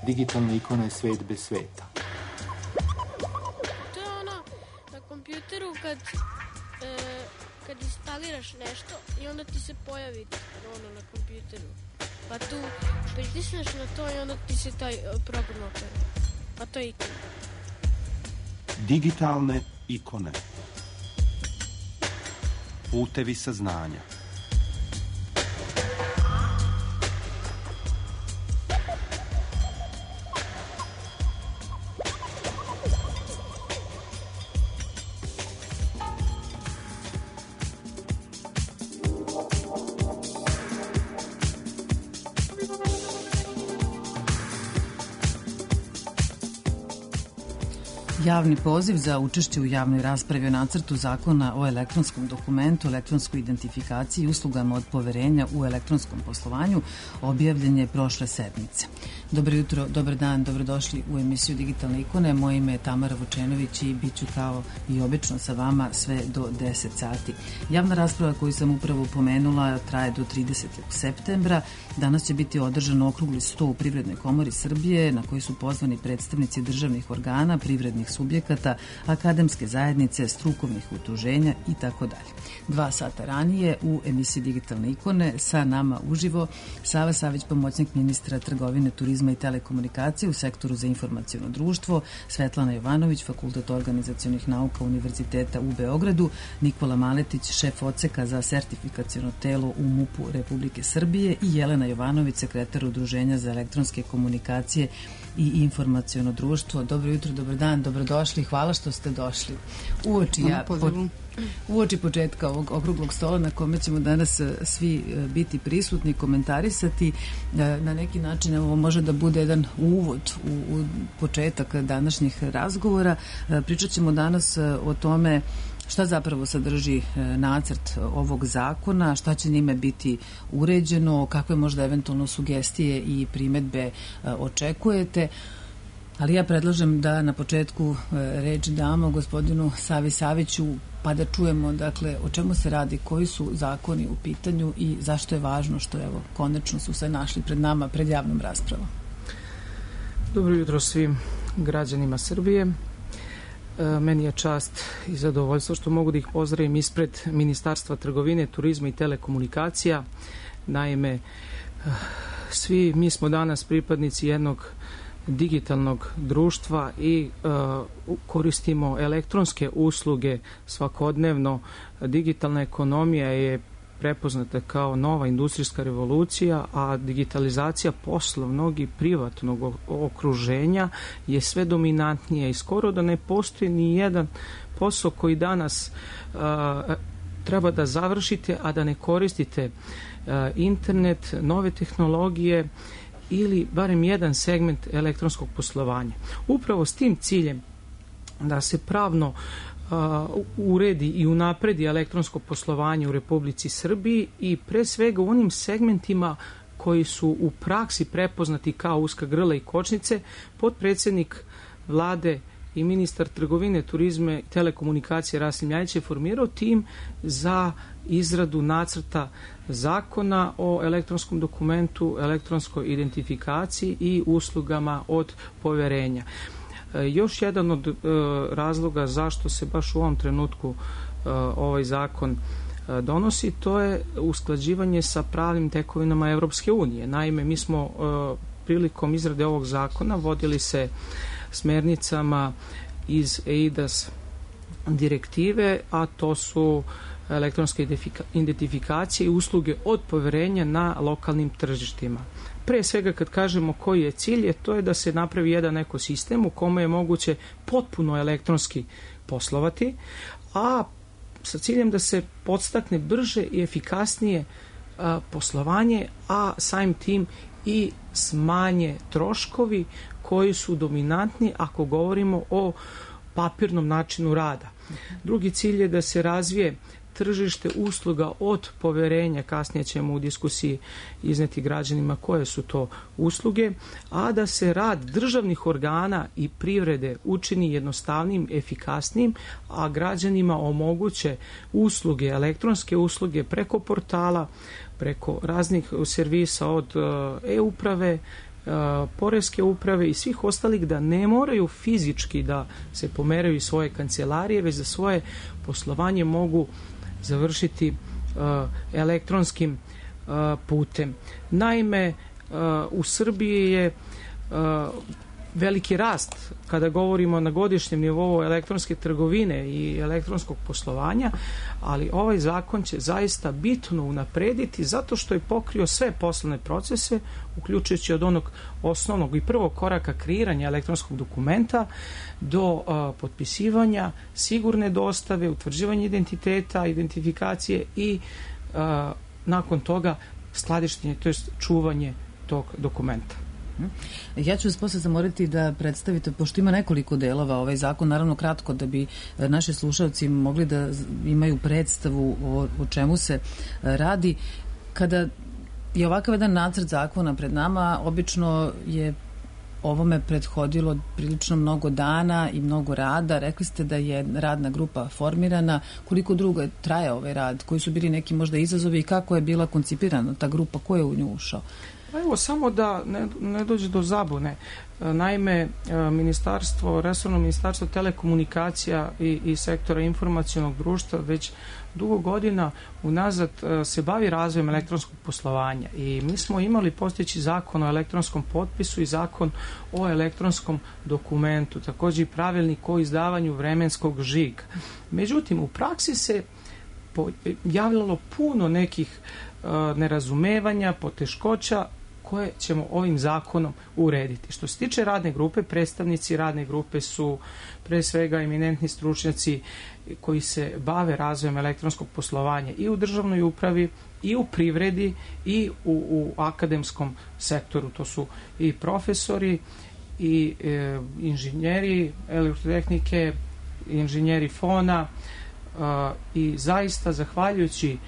Digitalna ikona je svet bez sveta. To je ono na kompjuteru kad instaliraš nešto i onda ti se pojavi ono na kompjuteru. Pa tu pritisneš na to i onda ti se taj program otvara. Pa to je ikona. Digitalne ikone. Putevi saznanja. Javni poziv za učešće u javnoj raspravi o nacrtu zakona o elektronskom dokumentu, elektronskoj identifikaciji i uslugama od poverenja u elektronskom poslovanju objavljen je prošle sedmice. Dobro jutro, dobar dan, dobrodošli u emisiju Digitalne ikone. Moje ime je Tamara Vučenović i bit ću kao i obično sa vama sve do 10 sati. Javna rasprava koju sam upravo pomenula traje do 30. septembra. Danas će biti održan okrugli sto u Privrednoj komori Srbije na koji su pozvani predstavnici državnih organa, privrednih subjekata, akademske zajednice, strukovnih udruženja i tako dalje. 2 sata ranije u emisiji Digitalne ikone sa nama uživo Sava Savić, pomoćnik ministra trgovine, turizma i telekomunikacije u sektoru za informaciono društvo, Svetlana Jovanović, Fakultet organizacionih nauka Univerziteta u Beogradu, Nikola Maletić, šef odseka za sertifikaciono telo u MUP-u Republike Srbije i Jelena Jovanović, sekretar Udruženja za elektronske komunikacije i informaciono društvo. Dobro jutro, dobar dan, dobrodošli, hvala što ste došli. Uoči početka ovog okruglog stola na kome ćemo danas svi biti prisutni, komentarisati, na neki način ovo može da bude jedan uvod u početak današnjih razgovora. Pričat ćemo danas o tome šta zapravo sadrži nacrt ovog zakona, šta će njime biti uređeno, kakve možda eventualno sugestije i primedbe očekujete. Ali ja predlažem da na početku reč damo gospodinu Savi Saviću pa da čujemo dakle o čemu se radi, koji su zakoni u pitanju i zašto je važno što evo konačno su se našli pred nama, pred javnom raspravom. Dobro jutro svim građanima Srbije. Meni je čast i zadovoljstvo što mogu da ih pozdravim ispred Ministarstva trgovine, turizma i telekomunikacija. Naime, svi mi smo danas pripadnici jednog digitalnog društva i koristimo elektronske usluge svakodnevno. Digitalna ekonomija je prepoznata kao nova industrijska revolucija, a digitalizacija poslovnog i privatnog okruženja je sve dominantnija i skoro da ne postoji ni jedan posao koji danas treba da završite, a da ne koristite internet, nove tehnologije ili barem jedan segment elektronskog poslovanja. Upravo s tim ciljem da se pravno uredi i unapredi elektronsko poslovanje u Republici Srbiji i pre svega u onim segmentima koji su u praksi prepoznati kao uska grla i kočnice, potpredsednik Vlade i ministar trgovine, turizma i telekomunikacije Rasim Ljajić je formirao tim za izradu nacrta zakona o elektronskom dokumentu, elektronskoj identifikaciji i uslugama od poverenja. Još jedan od razloga zašto se baš u ovom trenutku ovaj zakon donosi, to je usklađivanje sa pravnim tekovinama Evropske unije. Naime, mi smo prilikom izrade ovog zakona vodili se smernicama iz eIDAS direktive, a to su elektronske identifikacije i usluge od poverenja na lokalnim tržištima. Pre svega kad kažemo koji je cilj, to je da se napravi jedan ekosistem u kome je moguće potpuno elektronski poslovati, a sa ciljem da se podstakne brže i efikasnije poslovanje, a samim tim i smanje troškovi koji su dominantni ako govorimo o papirnom načinu rada. Drugi cilj je da se razvije tržište usluga od poverenja, kasnije ćemo u diskusiji izneti građanima koje su to usluge, a da se rad državnih organa i privrede učini jednostavnim, efikasnim, a građanima omoguće usluge, elektronske usluge preko portala, preko raznih servisa od e-uprave, poreske uprave i svih ostalih da ne moraju fizički da se pomeraju iz svoje kancelarije, već da svoje poslovanje mogu završiti elektronskim putem. Naime, u Srbiji je veliki rast kada govorimo na godišnjem nivou elektronske trgovine i elektronskog poslovanja, ali ovaj zakon će zaista bitno unaprediti zato što je pokrio sve poslovne procese, uključujući od onog osnovnog i prvog koraka kreiranja elektronskog dokumenta do potpisivanja, sigurne dostave, utvrđivanja identiteta, identifikacije i nakon toga skladištenje, to jest čuvanje tog dokumenta. Ja ću vas posle zamoliti da predstavite, pošto ima nekoliko delova ovaj zakon, naravno kratko da bi naši slušalci mogli da imaju predstavu o čemu se radi. Kada je ovakav jedan nacrt zakona pred nama, obično je ovome prethodilo prilično mnogo dana i mnogo rada. Rekli ste da je radna grupa formirana. Koliko dugo traje ovaj rad? Koji su bili neki možda izazovi i kako je bila koncipirana ta grupa? Ko je u nju ušao? Evo, samo da ne dođe do zabune. Naime, resorno ministarstvo telekomunikacija i sektora informacionog društva već dugo godina unazad se bavi razvojem elektronskog poslovanja i mi smo imali postojeći zakon o elektronskom potpisu i zakon o elektronskom dokumentu, također i pravilnik o izdavanju vremenskog žiga. Međutim, u praksi se javljalo puno nekih nerazumevanja, poteškoća koje ćemo ovim zakonom urediti. Što se tiče radne grupe, predstavnici radne grupe su pre svega eminentni stručnjaci koji se bave razvojem elektronskog poslovanja i u državnoj upravi, i u privredi, i u akademskom sektoru. To su i profesori, i inženjeri elektrotehnike, inženjeri fona i zaista zahvaljujući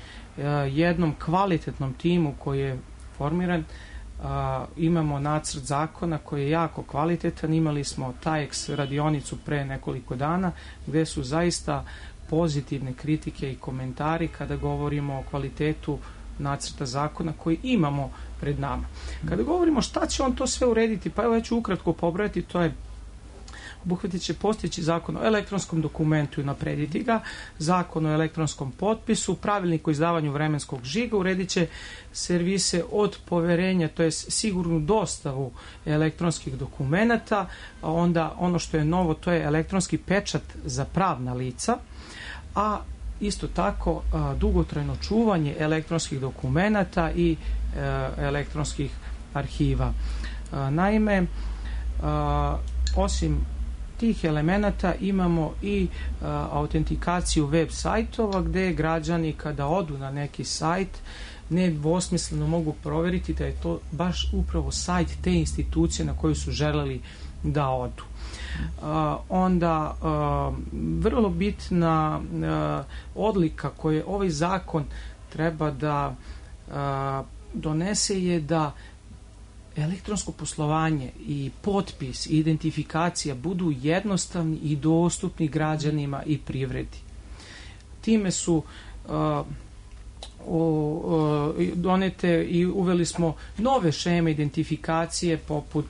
jednom kvalitetnom timu koji je formiran, imamo nacrt zakona koji je jako kvalitetan. Imali smo TAEX radionicu pre nekoliko dana gde su zaista pozitivne kritike i komentari kada govorimo o kvalitetu nacrta zakona koji imamo pred nama. Kada govorimo šta će on to sve urediti, pa evo ja ću ukratko pobrojati, to je obuhvatit će postojeći zakon o elektronskom dokumentu i naprediti ga, zakon o elektronskom potpisu, pravilnik o izdavanju vremenskog žiga, uredit će servise od poverenja, to je sigurnu dostavu elektronskih dokumenata, a onda ono što je novo, to je elektronski pečat za pravna lica, a isto tako dugotrajno čuvanje elektronskih dokumenata i elektronskih arhiva. Naime, osim tih elemenata imamo i autentikaciju web sajtova gde građani kada odu na neki sajt nedvosmisleno mogu proveriti da je to baš upravo sajt te institucije na koju su želeli da odu. Onda vrlo bitna odlika koju ovaj zakon treba da donese je da elektronsko poslovanje i potpis i identifikacija budu jednostavni i dostupni građanima i privredi. Time su donete i uveli smo nove šeme identifikacije poput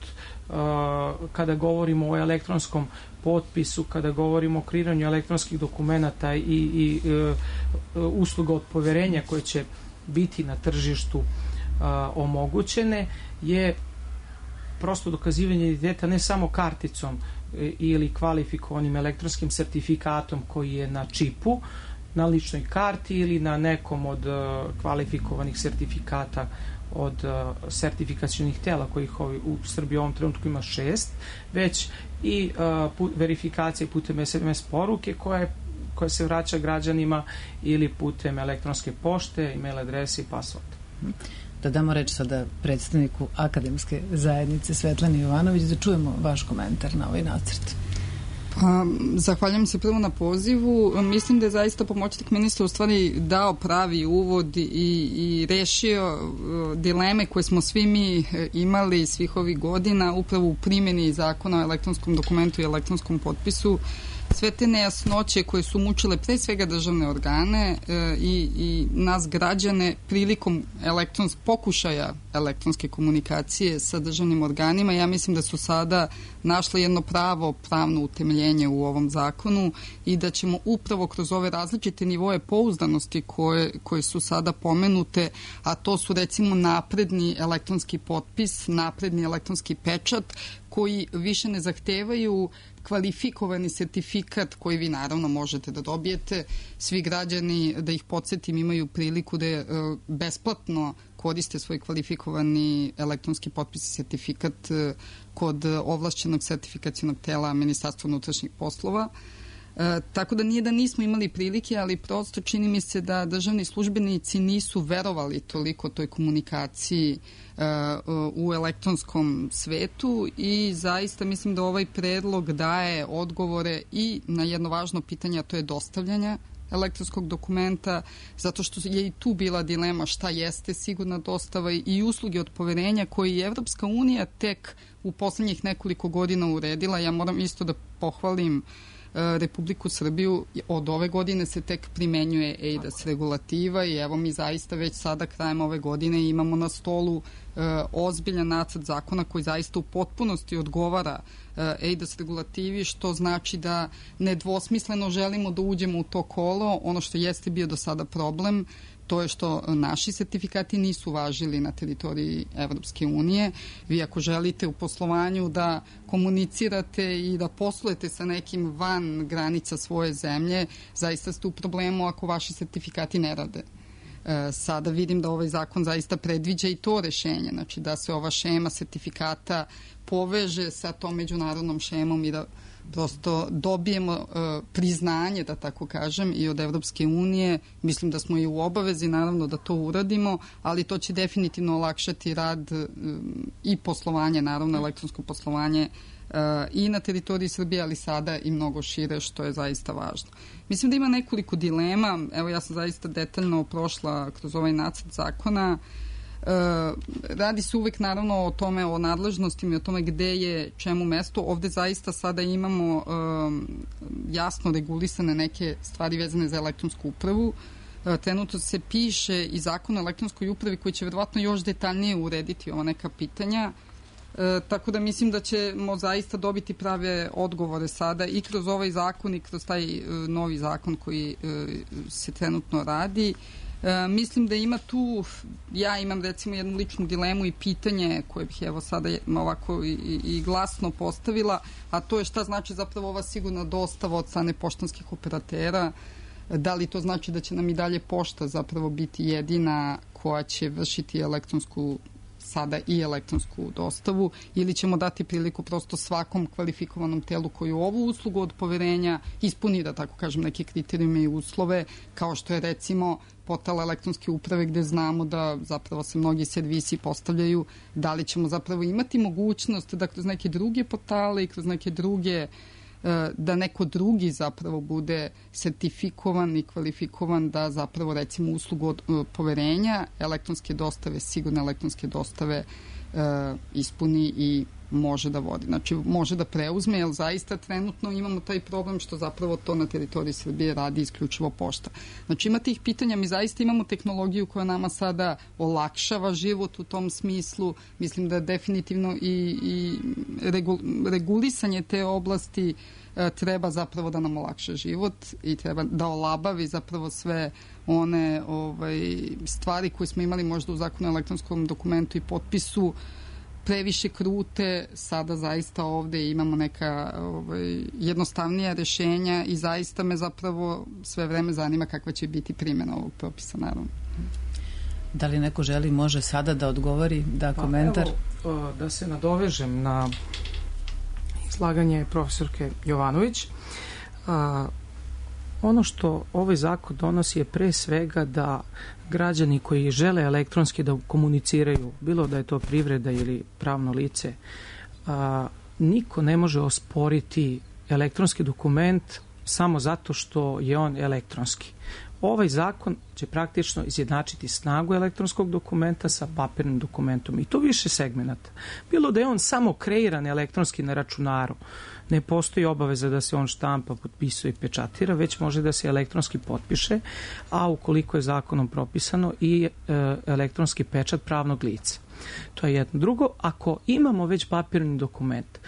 kada govorimo o elektronskom potpisu, kada govorimo o kreiranju elektronskih dokumenata i usluga od poverenja koje će biti na tržištu omogućene, je prosto dokazivanje identiteta ne samo karticom ili kvalifikovanim elektronskim sertifikatom koji je na čipu, na ličnoj karti ili na nekom od kvalifikovanih sertifikata od sertifikacionih tela kojih u Srbiji u ovom trenutku ima 6, već i verifikacije putem SMS poruke koja se vraća građanima ili putem elektronske pošte, e-mail adrese i password. Da damo reč sada predstavniku akademske zajednice Svetlani Jovanović da čujemo vaš komentar na ovaj nacrt. Zahvaljujem se prvo na pozivu. Mislim da je zaista pomoćnik ministra u stvari dao pravi uvod i rešio dileme koje smo svi mi imali svih ovih godina upravo u primjeni zakona o elektronskom dokumentu i elektronskom potpisu sve te nejasnoće koje su mučile pre svega državne organe i nas građane prilikom pokušaja elektronske komunikacije sa državnim organima. Ja mislim da su sada našle jedno pravno utemeljenje u ovom zakonu i da ćemo upravo kroz ove različite nivoje pouzdanosti koje su sada pomenute, a to su recimo napredni elektronski potpis, napredni elektronski pečat, koji više ne zahtevaju kvalifikovani sertifikat koji vi naravno možete da dobijete. Svi građani, da ih podsjetim, imaju priliku da besplatno koriste svoj kvalifikovani elektronski potpis i sertifikat kod ovlašćenog sertifikacionog tela Ministarstva unutrašnjih poslova. Tako da nije da nismo imali prilike, ali prosto čini mi se da državni službenici nisu verovali toliko toj komunikaciji u elektronskom svetu i zaista mislim da ovaj predlog daje odgovore i na jedno važno pitanje, a to je dostavljanje elektronskog dokumenta, zato što je i tu bila dilema šta jeste sigurna dostava i usluge od poverenja koje je Evropska unija tek u poslednjih nekoliko godina uredila. Ja moram isto da pohvalim Republiku Srbiju, od ove godine se tek primenjuje eIDAS regulativa i evo mi zaista već sada krajem ove godine imamo na stolu ozbiljan nacrt zakona koji zaista u potpunosti odgovara eIDAS regulativi, što znači da nedvosmisleno želimo da uđemo u to kolo. Ono što jeste bio do sada problem, to je što naši sertifikati nisu važili na teritoriji Evropske unije. Vi ako želite u poslovanju da komunicirate i da poslujete sa nekim van granica svoje zemlje, zaista ste u problemu ako vaši sertifikati ne rade. Sada vidim da ovaj zakon zaista predviđa i to rešenje, znači da se ova šema sertifikata poveže sa tom međunarodnom šemom i da prosto dobijemo priznanje, da tako kažem, i od Evropske unije. Mislim da smo i u obavezi, naravno, da to uradimo, ali to će definitivno olakšati rad i poslovanje, naravno, elektronsko poslovanje i na teritoriji Srbije, ali sada i mnogo šire, što je zaista važno. Mislim da ima nekoliko dilema. Evo, ja sam zaista detaljno prošla kroz ovaj nacrt zakona. Radi se uvek naravno o tome, o nadležnostima i o tome gde je čemu mesto. Ovde zaista sada imamo jasno regulisane neke stvari vezane za elektronsku upravu. Trenutno se piše i zakon o elektronskoj upravi koji će verovatno još detaljnije urediti ova neka pitanja. Tako da mislim da ćemo zaista dobiti prave odgovore sada i kroz ovaj zakon i kroz taj novi zakon koji se trenutno radi. Mislim da ima tu, ja imam recimo jednu ličnu dilemu i pitanje koje bih evo sada ovako i glasno postavila, a to je šta znači zapravo ova sigurna dostava od strane poštanskih operatera. Da li to znači da će nam i dalje pošta zapravo biti jedina koja će vršiti elektronsku sada i elektronsku dostavu ili ćemo dati priliku prosto svakom kvalifikovanom telu koji ovu uslugu od poverenja ispuni, da tako kažem, neke kriterijume i uslove, kao što je recimo portal elektronske uprave gde znamo da zapravo se mnogi servisi postavljaju, da li ćemo zapravo imati mogućnost da kroz neke druge portale i kroz neke druge da neko drugi zapravo bude sertifikovan i kvalifikovan da zapravo recimo uslugu od poverenja elektronske dostave, sigurne elektronske dostave ispuni i može da vodi. Znači može da preuzme, jer zaista trenutno imamo taj problem što zapravo to na teritoriji Srbije radi isključivo pošta. Znači ima tih pitanja, mi zaista imamo tehnologiju koja nama sada olakšava život u tom smislu. Mislim da definitivno i regulisanje te oblasti treba zapravo da nam olakša život i treba da olabavi zapravo sve one stvari koje smo imali možda u zakonu o elektronskom dokumentu i potpisu previše krute. Sada zaista ovde imamo neka jednostavnija rešenja i zaista me zapravo sve vreme zanima kakva će biti primjena ovog propisa, naravno. Da li neko želi, može sada da odgovori, da komentar? Evo, da se nadovežem na izlaganje profesorke Jovanović. Ono što ovaj zakon donosi je pre svega da građani koji žele elektronski da komuniciraju, bilo da je to privreda ili pravno lice, niko ne može osporiti elektronski dokument samo zato što je on elektronski. ovaj zakon će praktično izjednačiti snagu elektronskog dokumenta sa papirnim dokumentom i to više segmenata. Bilo da je on samo kreiran elektronski na računaru, ne postoji obaveza da se on štampa, potpisuje i pečatira, već može da se elektronski potpiše, a ukoliko je zakonom propisano i elektronski pečat pravnog lica. To je jedno. Drugo, ako imamo već papirni dokument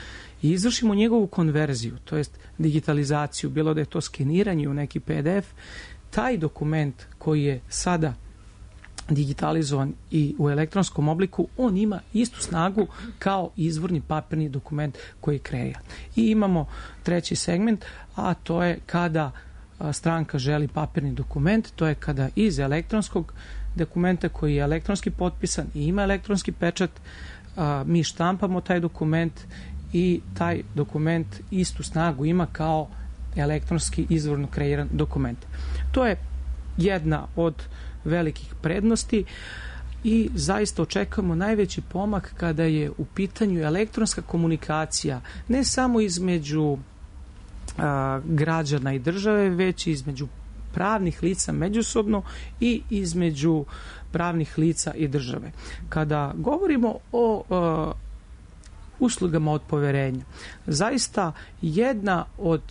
i izvršimo njegovu konverziju, to jest digitalizaciju, bilo da je to skeniranje u neki PDF, taj dokument koji je sada digitalizovan i u elektronskom obliku, on ima istu snagu kao izvorni papirni dokument koji je kreiran. I imamo treći segment, a to je kada stranka želi papirni dokument, to je kada iz elektronskog dokumenta koji je elektronski potpisan i ima elektronski pečat, mi štampamo taj dokument i taj dokument istu snagu ima kao elektronski izvorno kreiran dokument. To je jedna od velikih prednosti i zaista očekujemo najveći pomak kada je u pitanju elektronska komunikacija, ne samo između građana i države, već između pravnih lica međusobno i između pravnih lica i države. Kada govorimo o uslugama od poverenja, zaista jedna od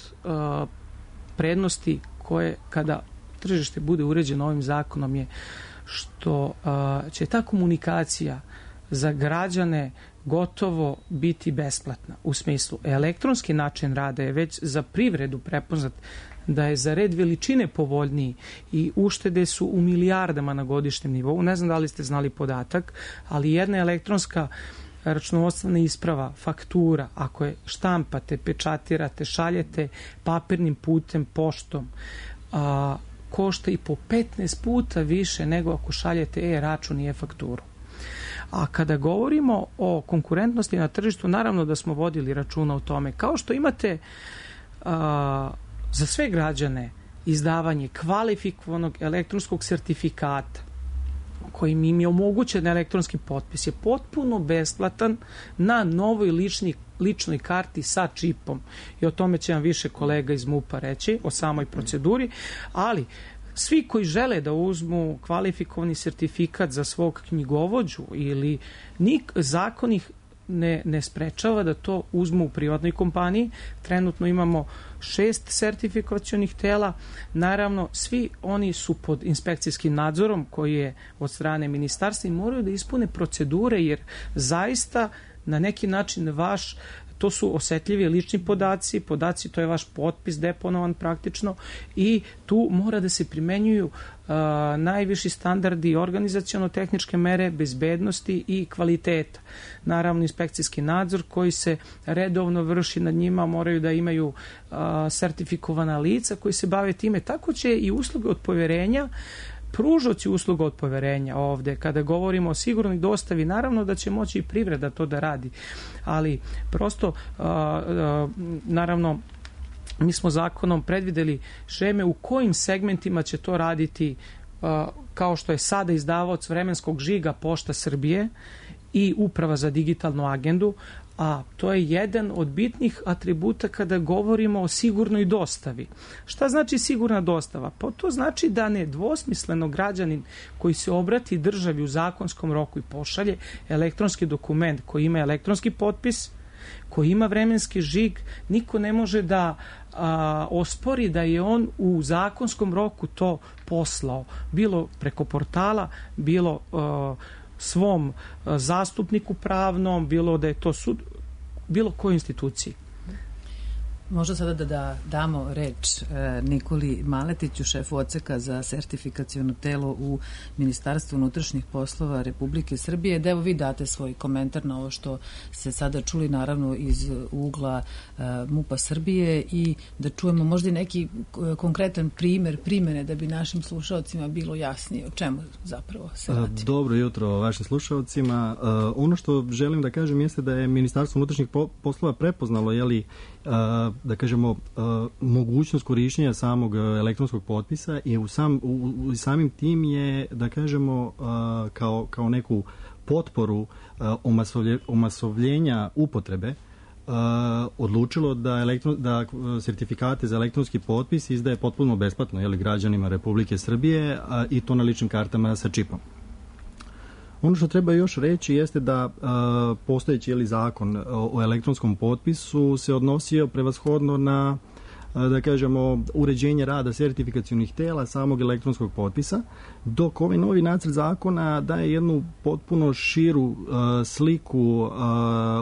prednosti koje kada tržište bude uređeno ovim zakonom je što će ta komunikacija za građane gotovo biti besplatna. U smislu, elektronski način rada je već za privredu prepoznat da je za red veličine povoljniji i uštede su u milijardama na godišnjem nivou. Ne znam da li ste znali podatak, ali jedna elektronska računovodstvena isprava, faktura, ako je štampate, pečatirate, šaljete papirnim putem, poštom, košta i po 15 puta više nego ako šaljete e-račun i e-fakturu. A kada govorimo o konkurentnosti na tržištu, naravno da smo vodili računa o tome. Kao što imate za sve građane izdavanje kvalifikovanog elektronskog sertifikata kojim im je omogućen elektronski potpis je potpuno besplatan na novoj ličnoj karti sa čipom. I o tome će vam više kolega iz MUP-a reći, o samoj proceduri, ali svi koji žele da uzmu kvalifikovani sertifikat za svog knjigovođu ili zakon ih ne sprečava da to uzmu u privatnoj kompaniji. Trenutno imamo 6 sertifikacionih tela. Naravno, svi oni su pod inspekcijskim nadzorom koji je od strane ministarstva i moraju da ispune procedure jer zaista na neki način to su osetljivi lični podaci, to je vaš potpis deponovan praktično i tu mora da se primenjuju najviši standardi organizaciono-tehničke mere, bezbednosti i kvaliteta. Naravno, inspekcijski nadzor koji se redovno vrši nad njima, moraju da imaju sertifikovana lica koji se bave time. Tako će i usluge od poverenja, pružoci usluga od poverenja ovde, kada govorimo o sigurnoj dostavi, naravno da će moći i privreda to da radi, ali prosto, naravno, mi smo zakonom predvideli šeme u kojim segmentima će to raditi, kao što je sada izdavaoc vremenskog žiga Pošta Srbije i Uprava za digitalnu agendu, a to je jedan od bitnih atributa kada govorimo o sigurnoj dostavi. Šta znači sigurna dostava? Pa to znači da nedvosmisleno građanin koji se obrati državi u zakonskom roku i pošalje elektronski dokument koji ima elektronski potpis, koji ima vremenski žig, niko ne može da ospori da je on u zakonskom roku to poslao, bilo preko portala, bilo svom zastupniku pravnom, bilo da je to sud, bilo kojoj instituciji. Možda sada da damo reč Nikoli Maletiću, šefu odseka za sertifikaciono telo u Ministarstvu unutrašnjih poslova Republike Srbije, da evo vi date svoj komentar na ovo što ste sada čuli, naravno iz ugla MUP-a Srbije, i da čujemo možda i neki konkretan primer primene da bi našim slušalcima bilo jasnije o čemu zapravo se radi. Dobro jutro vašim slušalcima. Ono što želim da kažem jeste da je Ministarstvo unutrašnjih poslova prepoznalo, da kažemo, mogućnost korišćenja samog elektronskog potpisa i samim tim je, da kažemo, kao neku potporu omasovljenja upotrebe odlučilo da sertifikate za elektronski potpis izdaje potpuno besplatno građanima Republike Srbije i to na ličnim kartama sa čipom. Ono što treba još reći jeste da postojeći zakon o elektronskom potpisu se odnosio prevashodno na uređenje rada sertifikacionih tela samog elektronskog potpisa, dok ovaj novi nacrt zakona daje jednu potpuno širu sliku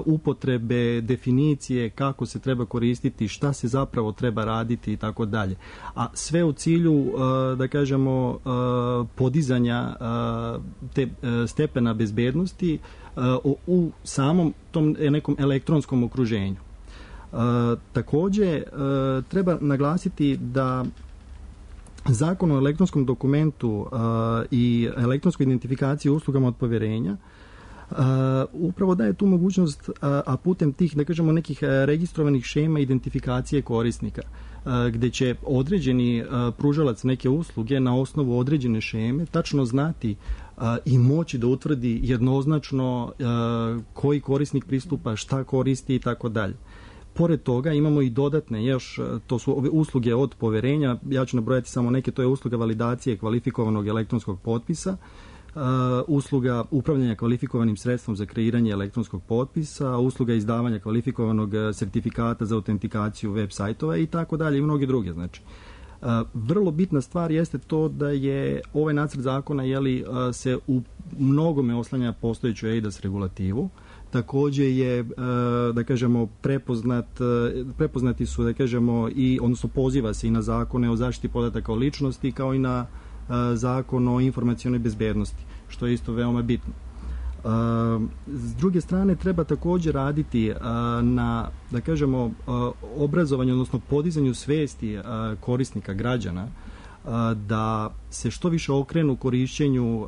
upotrebe, definicije, kako se treba koristiti, šta se zapravo treba raditi i tako dalje. A sve u cilju, podizanja te stepena bezbednosti u samom tom nekom elektronskom okruženju. Takođe, treba naglasiti da Zakon o elektronskom dokumentu i elektronskoj identifikaciji uslugama od poverenja upravo daje tu mogućnost, a putem tih, nekih registrovanih šema identifikacije korisnika, gde će određeni pružalac neke usluge na osnovu određene šeme tačno znati i moći da utvrdi jednoznačno koji korisnik pristupa, šta koristi i tako dalje. Pored toga imamo i dodatne, to su ove usluge od poverenja, ja ću nabrojati samo neke, to je usluga validacije kvalifikovanog elektronskog potpisa, usluga upravljanja kvalifikovanim sredstvom za kreiranje elektronskog potpisa, usluga izdavanja kvalifikovanog sertifikata za autentikaciju web sajtova i tako dalje i mnogi druge. Znači, vrlo bitna stvar jeste to da je ovaj nacrt zakona se u mnogome oslanja postojeću eIDAS regulativu. Takođe je, prepoznati su, odnosno poziva se i na zakone o zaštiti podataka o ličnosti, kao i na zakon o informacionoj bezbednosti, što je isto veoma bitno. S druge strane, treba takođe raditi na, obrazovanju, odnosno podizanju svesti korisnika, građana, da se što više okrenu korišćenju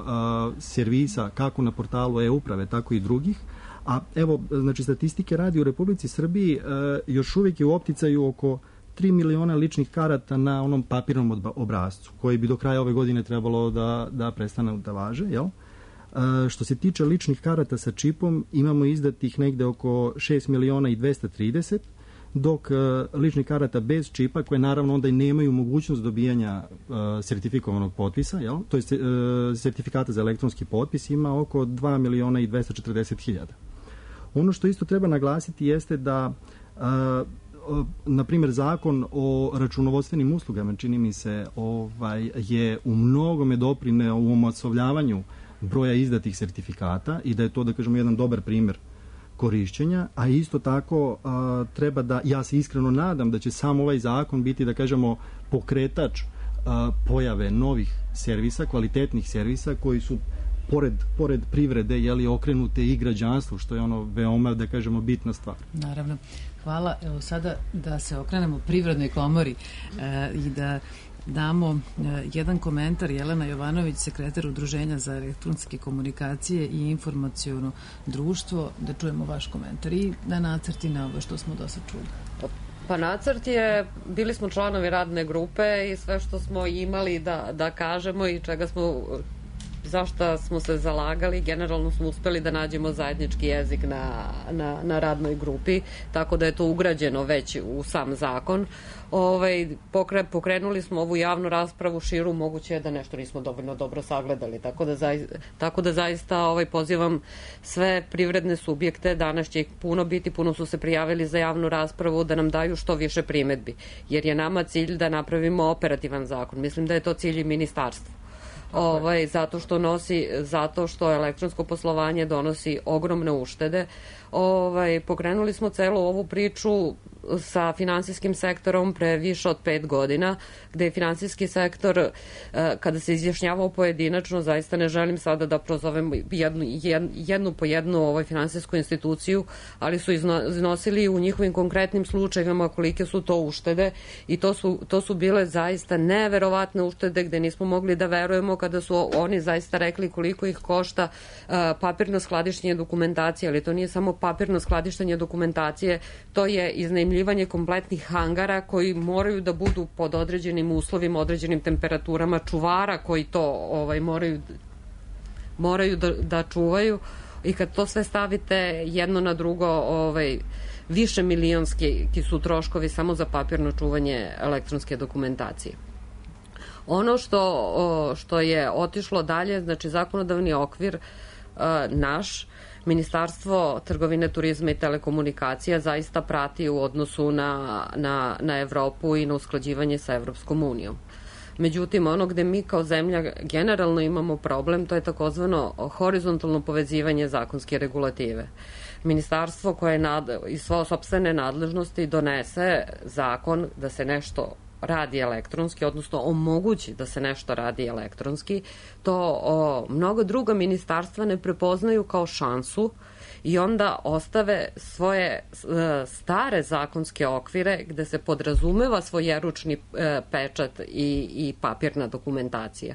servisa kako na portalu e-uprave, tako i drugih. A evo, statistike radi u Republici Srbiji još uvijek je u opticaju oko 3 miliona ličnih karata na onom papirnom obrascu, koji bi do kraja ove godine trebalo da prestane da važe, jel? Što se tiče ličnih karata sa čipom, imamo izdatih negde oko 6 miliona i 230, dok ličnih karata bez čipa, koje naravno onda i nemaju mogućnost dobijanja sertifikovanog potpisa, jel? To je sertifikata za elektronski potpis, ima oko 2 miliona i 240 hiljada. Ono što isto treba naglasiti jeste da na primjer, zakon o računovodstvenim uslugama, čini mi se, je u mnogome doprineo u omasovljavanju broja izdatih sertifikata i da je to, jedan dobar primjer korišćenja, a isto tako treba da, ja se iskreno nadam da će sam ovaj zakon biti, pokretač pojave novih servisa, kvalitetnih servisa koji su pored privrede, okrenute i građanstvu, što je veoma, bitna stvar. Naravno. Hvala. Evo sada da se okrenemo Privrednoj komori i da damo jedan komentar. Jelena Jovanović, sekretar Udruženja za elektronske komunikacije i informaciono društvo, da čujemo vaš komentar i da nacrti na ovo što smo do sad čuli. Pa nacrt je, bili smo članovi radne grupe i sve što smo imali da kažemo i zašto smo se zalagali, generalno smo uspeli da nađemo zajednički jezik na radnoj grupi, tako da je to ugrađeno već u sam zakon. Pokrenuli smo ovu javnu raspravu širu, moguće je da nešto nismo dovoljno dobro sagledali, tako da zaista pozivam sve privredne subjekte, danas će ih puno biti, puno su se prijavili za javnu raspravu, da nam daju što više primedbi, jer je nama cilj da napravimo operativan zakon. Mislim da je to cilj i ministarstva. Zato što elektronsko poslovanje donosi ogromne uštede. Pokrenuli smo celu ovu priču sa finansijskim sektorom pre više od 5 godina, gde je finansijski sektor, kada se izjašnjavao pojedinačno, zaista ne želim sada da prozovem jednu po jednu finansijsku instituciju, ali su iznosili u njihovim konkretnim slučajevima kolike su to uštede i to su bile zaista neverovatne uštede gde nismo mogli da verujemo kada su oni zaista rekli koliko ih košta papirno skladištenje dokumentacije, ali to nije samo papirno skladištenje dokumentacije, to je iznajmljivanje kompletnih hangara koji moraju da budu pod određenim uslovima, određenim temperaturama, čuvara koji to moraju da čuvaju i kad to sve stavite jedno na drugo, više milionski su troškovi samo za papirno čuvanje elektronske dokumentacije. Ono što je otišlo dalje, znači zakonodavni okvir naš, Ministarstvo trgovine, turizma i telekomunikacija zaista prati u odnosu na Evropu i na usklađivanje sa Evropskom unijom. Međutim, ono gde mi kao zemlja generalno imamo problem, to je takozvano horizontalno povezivanje zakonske regulative. Ministarstvo koje iz svoje sopstvene nadležnosti donese zakon da se nešto radi elektronski, odnosno omogući da se nešto radi elektronski, to mnogo druga ministarstva ne prepoznaju kao šansu i onda ostave svoje stare zakonske okvire gde se podrazumeva svojeručni pečat i papirna dokumentacija.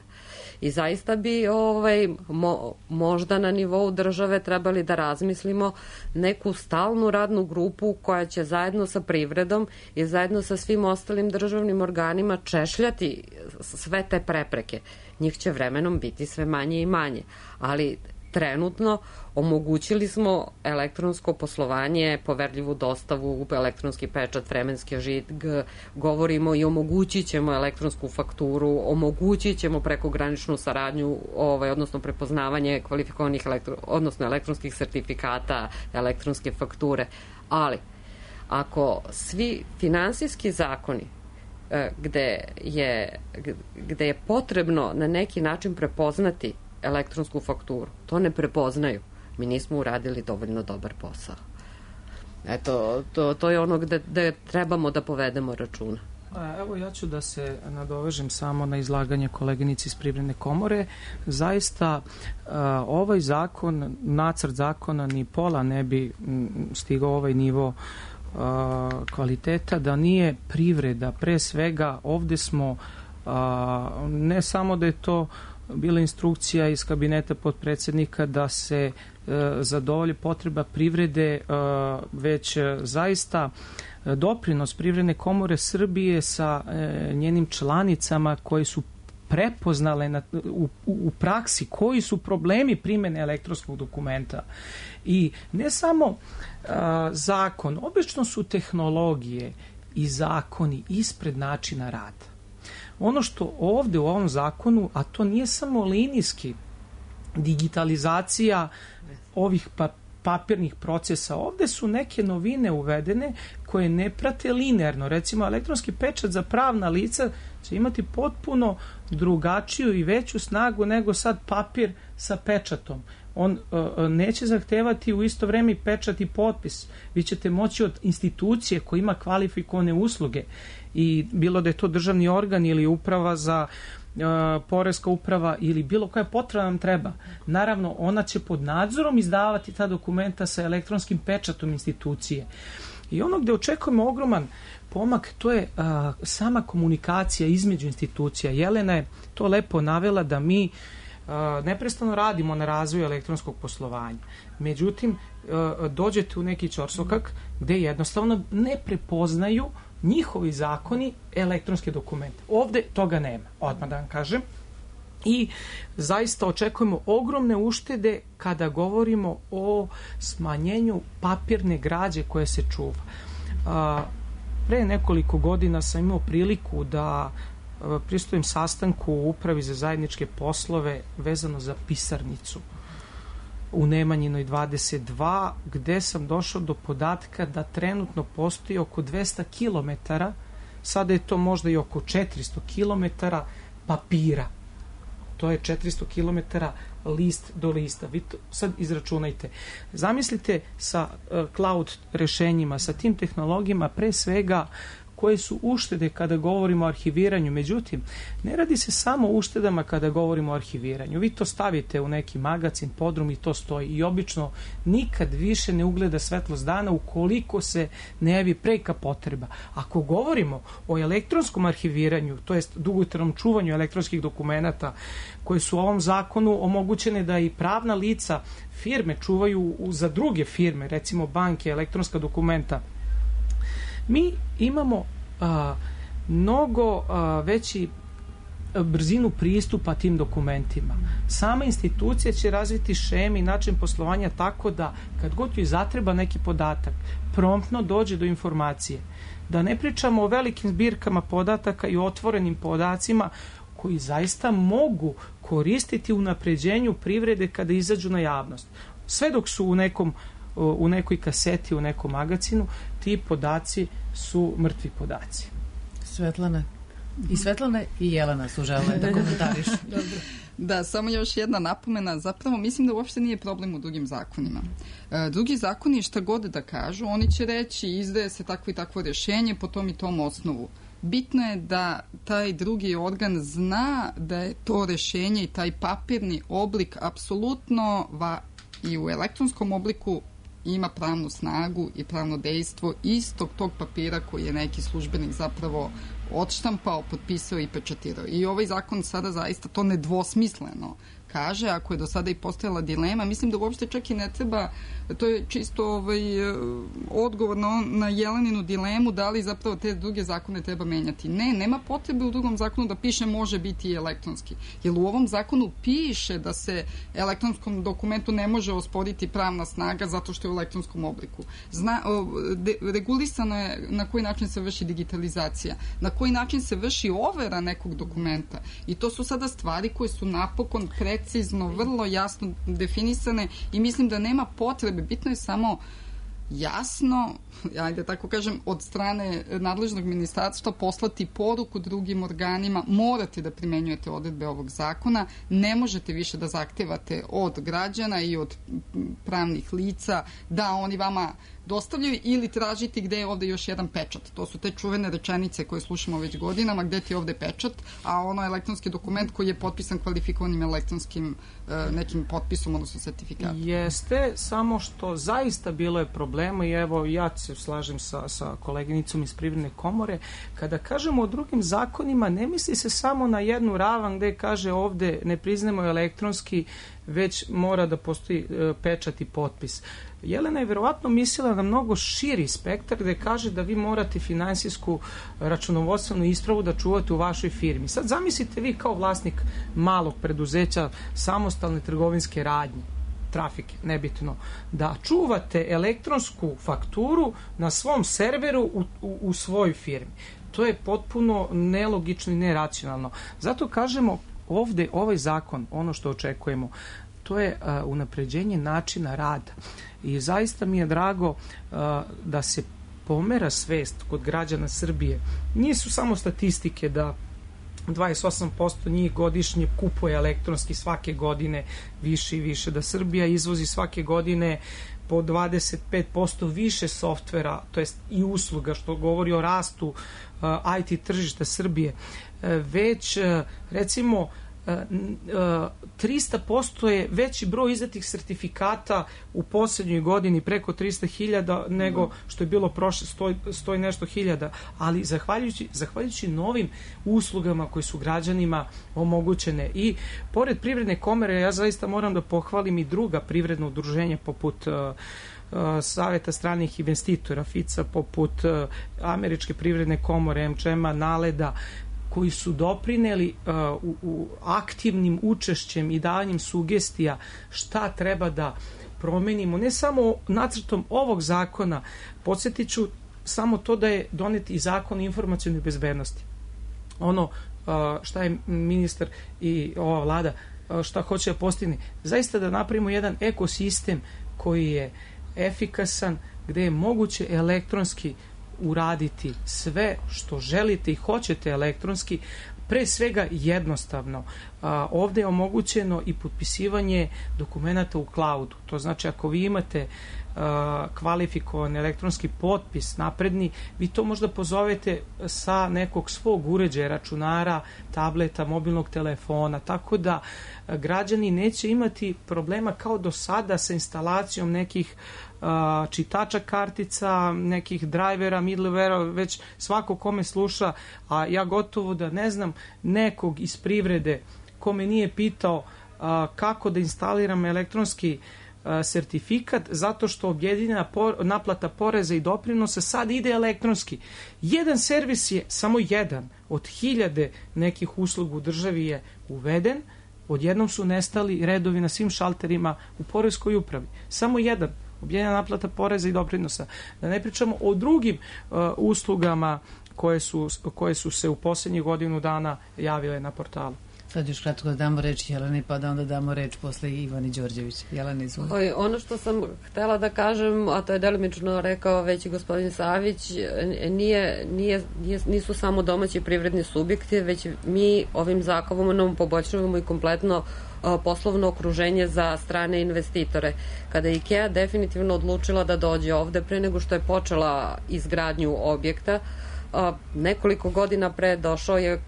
I zaista bi možda na nivou države trebali da razmislimo neku stalnu radnu grupu koja će zajedno sa privredom i zajedno sa svim ostalim državnim organima češljati sve te prepreke. Njih će vremenom biti sve manje i manje, ali trenutno omogućili smo elektronsko poslovanje, poverljivu dostavu, elektronski pečat, vremenski žig, govorimo i omogućit ćemo elektronsku fakturu, omogućit ćemo prekograničnu saradnju, odnosno prepoznavanje kvalifikovanih elektronskih sertifikata, elektronske fakture, ali ako svi finansijski zakoni gde je potrebno na neki način prepoznati elektronsku fakturu, to ne prepoznaju, mi nismo uradili dovoljno dobar posao. Eto, to je ono gde trebamo da povedemo računa. Evo, ja ću da se nadovežem samo na izlaganje koleginici iz Privredne komore. Zaista, ovaj zakon, nacrt zakona ni pola ne bi stigao ovaj nivo kvaliteta da nije privreda. Pre svega, ovde smo, ne samo da je to bila instrukcija iz kabineta potpredsednika da se zadovolji potreba privrede, već zaista doprinos Privredne komore Srbije sa njenim članicama koji su prepoznale u praksi koji su problemi primene elektronskog dokumenta. I ne samo zakon, obično su tehnologije i zakoni ispred načina rada. Ono što ovde u ovom zakonu, a to nije samo linijski digitalizacija ovih papirnih procesa, ovde su neke novine uvedene koje ne prate linearno. Recimo, elektronski pečat za pravna lica će imati potpuno drugačiju i veću snagu nego sad papir sa pečatom. On neće zahtevati u isto vreme pečat i potpis. Vi ćete moći od institucije koja ima kvalifikovane usluge, i bilo da je to državni organ ili uprava za poreska uprava ili bilo koja potreba nam treba. Naravno, ona će pod nadzorom izdavati ta dokumenta sa elektronskim pečatom institucije. I ono gde očekujemo ogroman pomak, to je sama komunikacija između institucija. Jelena je to lepo navela da mi neprestano radimo na razvoju elektronskog poslovanja. Međutim, dođete u neki ćorsokak gde jednostavno ne prepoznaju njihovi zakoni elektronske dokumente. Ovde toga nema, odmah da vam kažem. I zaista očekujemo ogromne uštede kada govorimo o smanjenju papirne građe koje se čuva. Pre nekoliko godina sam imao priliku da pristujem sastanku u Upravi za zajedničke poslove vezano za pisarnicu u Nemanjinoj 22, gde sam došao do podatka da trenutno postoji oko 200 km, sada je to možda i oko 400 km papira. To je 400 km list do lista. Vi to sad izračunajte. Zamislite sa cloud rešenjima, sa tim tehnologijama, pre svega koje su uštede kada govorimo o arhiviranju. Međutim, ne radi se samo o uštedama kada govorimo o arhiviranju. Vi to stavite u neki magacin, podrum i to stoji. I obično nikad više ne ugleda svetlost dana ukoliko se ne javi preka potreba. Ako govorimo o elektronskom arhiviranju, to jest dugotrajnom čuvanju elektronskih dokumenata koje su u ovom zakonu omogućene da i pravna lica, firme čuvaju za druge firme, recimo banke, elektronska dokumenta, mi imamo mnogo veći brzinu pristupa tim dokumentima. sama institucija će razviti šeme i način poslovanja tako da kad god joj zatreba neki podatak, promptno dođe do informacije. Da ne pričamo o velikim zbirkama podataka i otvorenim podacima koji zaista mogu koristiti u unapređenju privrede kada izađu na javnost. Sve dok su u nekoj kaseti, u nekom magazinu, ti podaci su mrtvi podaci. Svetlana i Jelena su žele da komentarišu. Da, samo još jedna napomena. Zapravo mislim da uopšte nije problem u drugim zakonima. Drugi zakoni šta god da kažu, oni će reći izdaje se takvo i takvo rješenje po tom i tom osnovu. Bitno je da taj drugi organ zna da je to rješenje i taj papirni oblik apsolutno i u elektronskom obliku ima pravnu snagu i pravno dejstvo istog tog papira koji je neki službenik zapravo odštampao, potpisao i pečatirao. I ovaj zakon sada zaista to nedvosmisleno kaže, ako je do sada i postojala dilema, mislim da uopšte čak i ne treba, to je čisto odgovor na Jeleninu dilemu, da li zapravo te druge zakone treba menjati. Ne, nema potrebe u drugom zakonu da piše može biti i elektronski. Jer u ovom zakonu piše da se elektronskom dokumentu ne može osporiti pravna snaga zato što je u elektronskom obliku. Regulisano je na koji način se vrši digitalizacija, na koji način se vrši overa nekog dokumenta. I to su sada stvari koje su napokon precizno, vrlo jasno definisane i mislim da nema potrebe, bitno je samo jasno, ajde tako kažem, od strane nadležnog ministarstva poslati poruku drugim organima, morate da primenjujete odredbe ovog zakona, ne možete više da zahtevate od građana i od pravnih lica da oni vama dostavljaju ili tražiti gde je ovde još jedan pečat. To su te čuvene rečenice koje slušamo već godinama, gde ti je ovde pečat, a ono je elektronski dokument koji je potpisan kvalifikovanim elektronskim nekim potpisom, odnosno sertifikatom. Jeste, samo što zaista bilo je problema i evo ja se slažem sa koleginicom iz Privredne komore, kada kažemo o drugim zakonima, ne misli se samo na jednu ravan gde kaže ovde ne priznamo elektronski, već mora da postoji pečat i potpis. Jelena je verovatno mislila na mnogo širi spektar gde kaže da vi morate finansijsku računovodstvenu ispravu da čuvate u vašoj firmi. Sad zamislite vi kao vlasnik malog preduzeća, samostalne trgovinske radnje, trafike, nebitno, da čuvate elektronsku fakturu na svom serveru u svojoj firmi. To je potpuno nelogično i neracionalno. Zato kažemo ovde, ovaj zakon, ono što očekujemo, to je unapređenje načina rada. I zaista mi je drago da se pomera svest kod građana Srbije. Nisu samo statistike da 28% njih godišnje kupuje elektronski svake godine više i više, da Srbija izvozi svake godine po 25% više softvera, to jest i usluga, što govori o rastu IT tržišta Srbije. Već, recimo, 300% je veći broj izdatih sertifikata u poslednjoj godini, preko 300.000 nego što je bilo prošle 100 i nešto hiljada, ali zahvaljujući novim uslugama koje su građanima omogućene. I pored Privredne komore, ja zaista moram da pohvalim i druga privredna udruženja poput Saveta stranih investitora, FICA, poput Američke privredne komore, MČM-a, NALED-a, koji su doprineli u aktivnim učešćem i davanjem sugestija šta treba da promenimo, ne samo nacrtom ovog zakona. Podsjetit ću samo to da je donet i zakon o informacionoj bezbednosti. Ono šta je ministar i ova vlada šta hoće da postigne, zaista da napravimo jedan ekosistem koji je efikasan, gde je moguće elektronski uraditi sve što želite i hoćete elektronski, pre svega jednostavno. Ovde je omogućeno i potpisivanje dokumenta u cloudu. To znači ako vi imate kvalifikovan elektronski potpis napredni, vi to možda pozovete sa nekog svog uređaja, računara, tableta, mobilnog telefona, tako da građani neće imati problema kao do sada sa instalacijom nekih čitača kartica, nekih drivera, middlewarea, već svako kome sluša, a ja gotovo da ne znam nekog iz privrede ko me nije pitao kako da instaliram elektronski sertifikat, zato što objedinjena naplata poreza i doprinosa sad ide elektronski. Jedan servis je, samo jedan od 1000 nekih usluga u državi je uveden odjednom su nestali redovi na svim šalterima u poreskoj upravi. Samo jedan, objedinjena naplata poreza i doprinosa. Da ne pričamo o drugim uslugama koje su se u posljednjih godinu dana javile na portalu. Sad još kratko da damo reč Jeleni, pa da onda damo reč posle Ivani Đorđević. Jelena, izvoli. Ono što sam htela da kažem, a to je delimično rekao već i gospodin Savić, nisu samo domaći privredni subjekti, već mi ovim zakonom poboljšavamo i kompletno poslovno okruženje za strane investitore. Kada je IKEA definitivno odlučila da dođe ovde pre nego što je počela izgradnju objekta, nekoliko godina pre došao je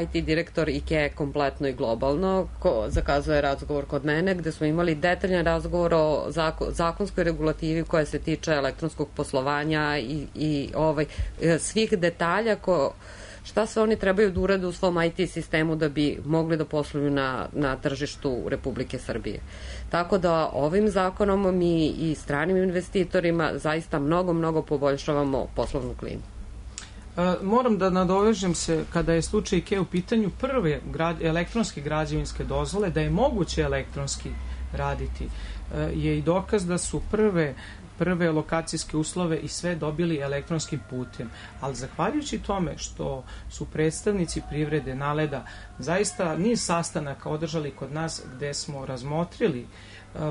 IT direktor IKEA kompletno i globalno, zakazuje razgovor kod mene gde smo imali detaljan razgovor o zakonskoj regulativi koja se tiče elektronskog poslovanja i svih detalja šta sve oni trebaju da urade u svom IT sistemu da bi mogli da posluju na tržištu Republike Srbije. Tako da ovim zakonom mi i stranim investitorima zaista mnogo poboljšavamo poslovnu klimu. Moram da nadovežem se, kada je slučaj IKEA u pitanju, prve elektronske građevinske dozvole, da je moguće elektronski raditi, je i dokaz da su prve lokacijske uslove i sve dobili elektronskim putem. Ali zahvaljujući tome što su predstavnici privrede NALED-a zaista niz sastanaka održali kod nas gde smo razmotrili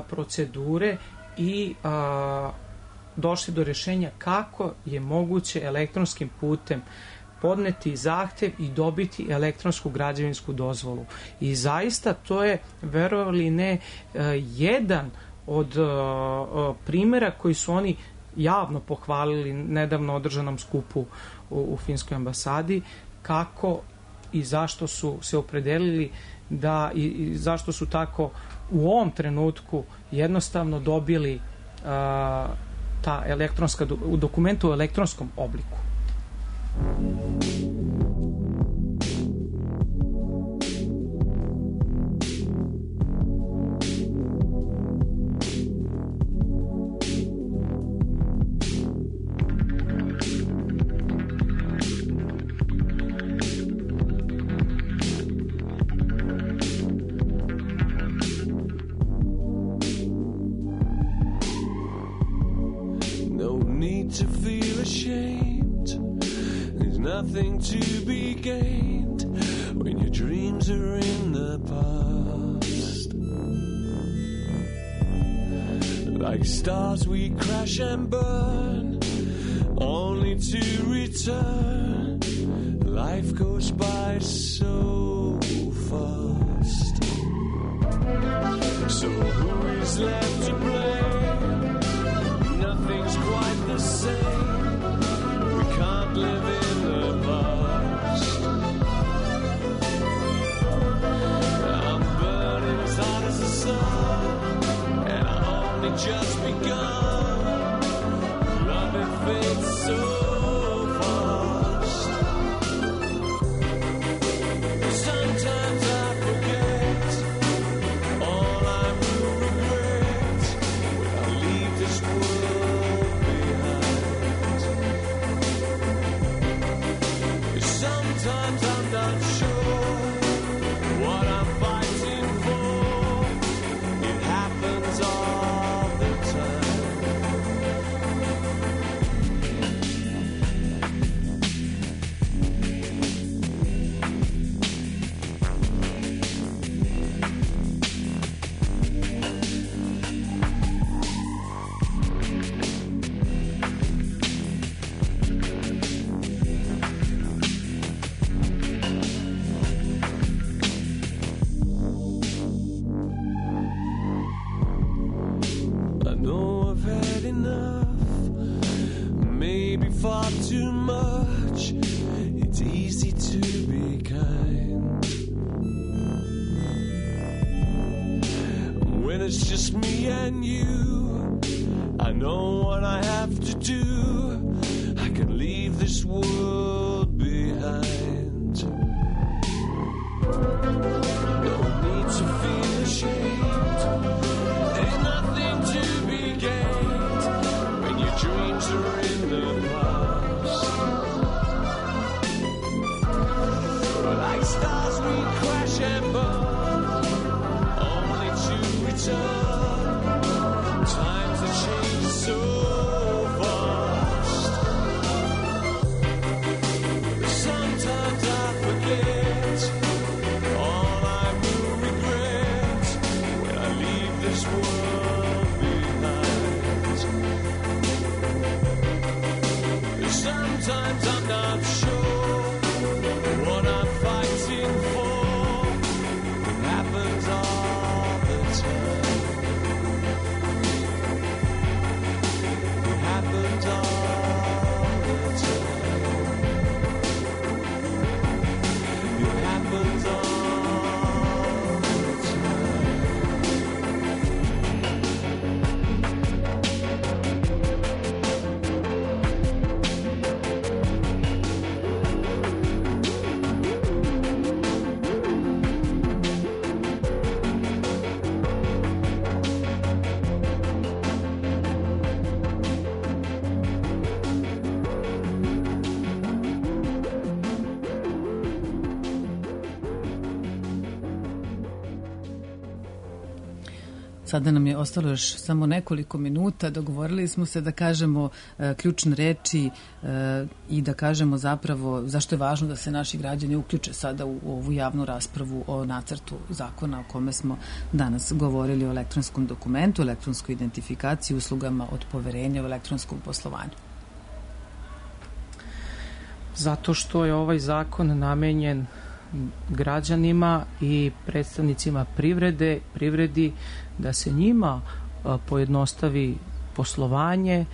procedure i došli do rešenja kako je moguće elektronskim putem podneti zahtev i dobiti elektronsku građevinsku dozvolu. I zaista to je, verovali ne, jedan od primjera koji su oni javno pohvalili nedavno održanom skupu u finskoj ambasadi, kako i zašto su se opredelili da i zašto su tako u ovom trenutku jednostavno dobili ta elektronska dokumenta u elektronskom obliku. To feel ashamed, there's nothing to be gained when your dreams are in the past. Like stars we crash and burn, only to return. Life goes by so fast. So who is left to blame? Nothing's quite the same. We can't live in the past. I'm burning as hot as the sun, and I only just begun. Loving fades so fast. Sometimes I forget all I will regret when I leave this world behind. Sometimes I'm not sure what I'm fighting for. It happens all the time. I know I've had enough, maybe far too much. It's easy to be kind when it's just me and you. I know what I have to do. I can leave this world behind. No need to feel ashamed. There's nothing to be gained when your dreams are in the past. Like stars we crash and burn, this world behind. Sometimes I'm not sure what I'm fighting for. It happens all the time. It happens all the time. It happens all the time. Sada nam je ostalo još samo nekoliko minuta. Dogovorili smo se da kažemo ključne reči i da kažemo zapravo zašto je važno da se naši građani uključe sada u ovu javnu raspravu o nacrtu zakona o kome smo danas govorili, o elektronskom dokumentu, elektronskoj identifikaciji, uslugama od poverenja u elektronskom poslovanju. Zato što je ovaj zakon namenjen građanima i predstavnicima privredi da se njima pojednostavi poslovanje,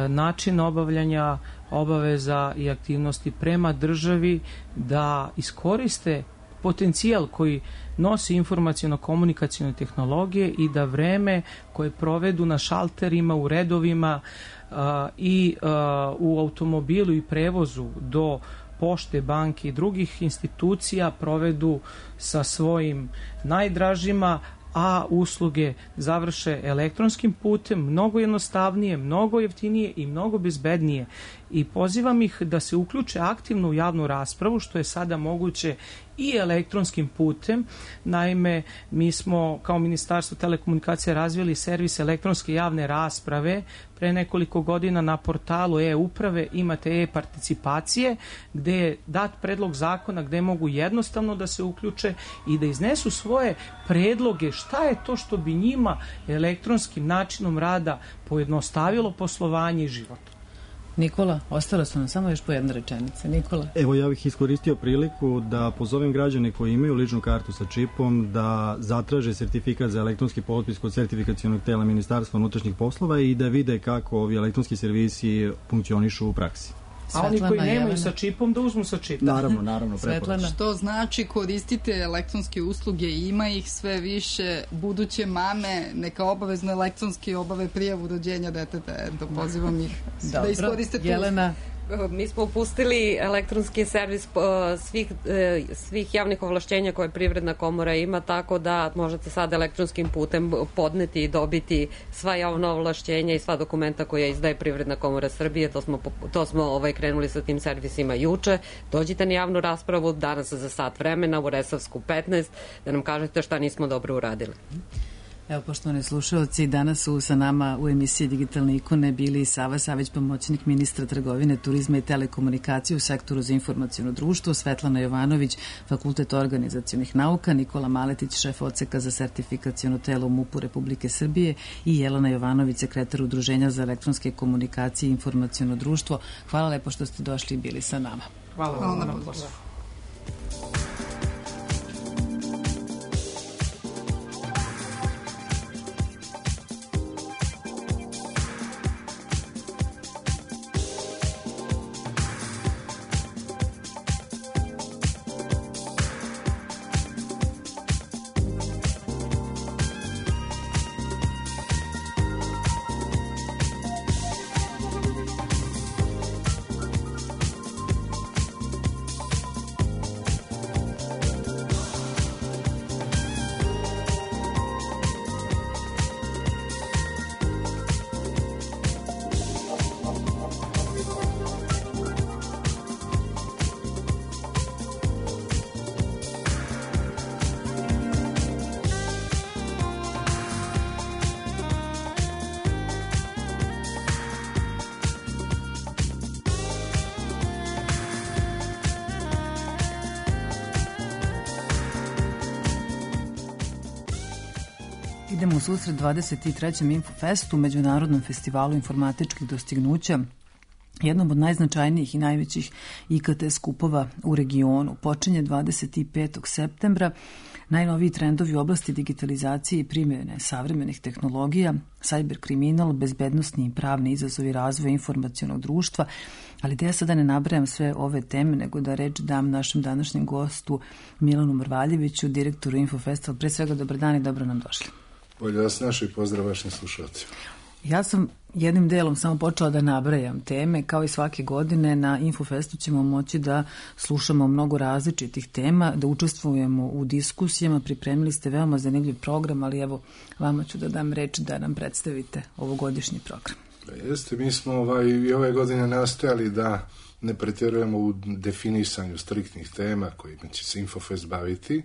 način obavljanja obaveza i aktivnosti prema državi, da iskoriste potencijal koji nosi informaciono-komunikacione tehnologije i da vreme koje provedu na šalterima, u redovima i u automobilu i prevozu do pošte, banke i drugih institucija provedu sa svojim najdražima, a usluge završe elektronskim putem, mnogo jednostavnije, mnogo jeftinije i mnogo bezbednije. I pozivam ih da se uključe aktivno u javnu raspravu, što je sada moguće i elektronskim putem. Naime, mi smo kao Ministarstvo telekomunikacije razvili servis elektronske javne rasprave. Pre nekoliko godina na portalu e-uprave imate e-participacije, gde je dat predlog zakona gde mogu jednostavno da se uključe i da iznesu svoje predloge šta je to što bi njima elektronskim načinom rada pojednostavilo poslovanje i život. Nikola, ostalo su nam samo još po jedna rečenica. Nikola. Evo, ja bih iskoristio priliku da pozovem građane koji imaju ličnu kartu sa čipom da zatraže sertifikat za elektronski potpis kod sertifikacionog tela Ministarstva unutrašnjih poslova i da vide kako ovi elektronski servisi funkcionišu u praksi. A oni koji nemaju sa čipom da uzmu sa čipom. Naravno, preporučujem. Što znači koristite elektronske usluge, ima ih sve više, buduće mame neka obavezno elektronski obave prijavu rođenja deteta. Pozivam ih da iskoriste tu. Jelena. Mi smo upustili elektronski servis svih javnih ovlašćenja koje Privredna komora ima, tako da možete sad elektronskim putem podneti i dobiti sva javna ovlašćenja i sva dokumenta koja izdaje Privredna komora Srbije. To smo krenuli sa tim servisima juče. Dođite na javnu raspravu danas za sat vremena u Resavsku 15 da nam kažete šta nismo dobro uradili. Evo, poštovani slušalci, danas su sa nama u emisiji Digitalne ikone bili Sava Savić, pomoćnik ministra trgovine, turizma i telekomunikacije u sektoru za informaciono društvo, Svetlana Jovanović, Fakultet organizacionih nauka, Nikola Maletić, šef odseka za sertifikaciono telo u MUP-u Republike Srbije i Jelena Jovanović, sekretar Udruženja za elektronske komunikacije i informaciono društvo. Hvala lepo što ste došli i bili sa nama. Hvala na pozivu. Idemo u susret 23. Infofestu, međunarodnom festivalu informatičkih dostignuća, jednom od najznačajnijih i najvećih IKT skupova u regionu. Počinje 25. septembra. Najnoviji trendovi u oblasti digitalizacije i primjene savremenih tehnologija, sajber kriminal, bezbednosni i pravni izazovi razvoja informacionog društva, ali da ja sada ne nabrajam sve ove teme, nego da reč dam našem današnjem gostu Milanu Mrvaljeviću, direktoru Infofesta. Pre svega, dobar dan i dobro nam došli. Bolje vas našli, pozdrav vašim slušalcima. Ja sam jednim delom samo počela da nabrajam teme, kao i svake godine na Infofestu ćemo moći da slušamo mnogo različitih tema, da učestvujemo u diskusijama, pripremili ste veoma zanimljiv program, ali evo, vama ću da dam reč da nam predstavite ovogodišnji program. Jeste, mi smo i ove godine nastojali da ne pretjerujemo u definisanju striktnih tema kojima će se Infofest baviti.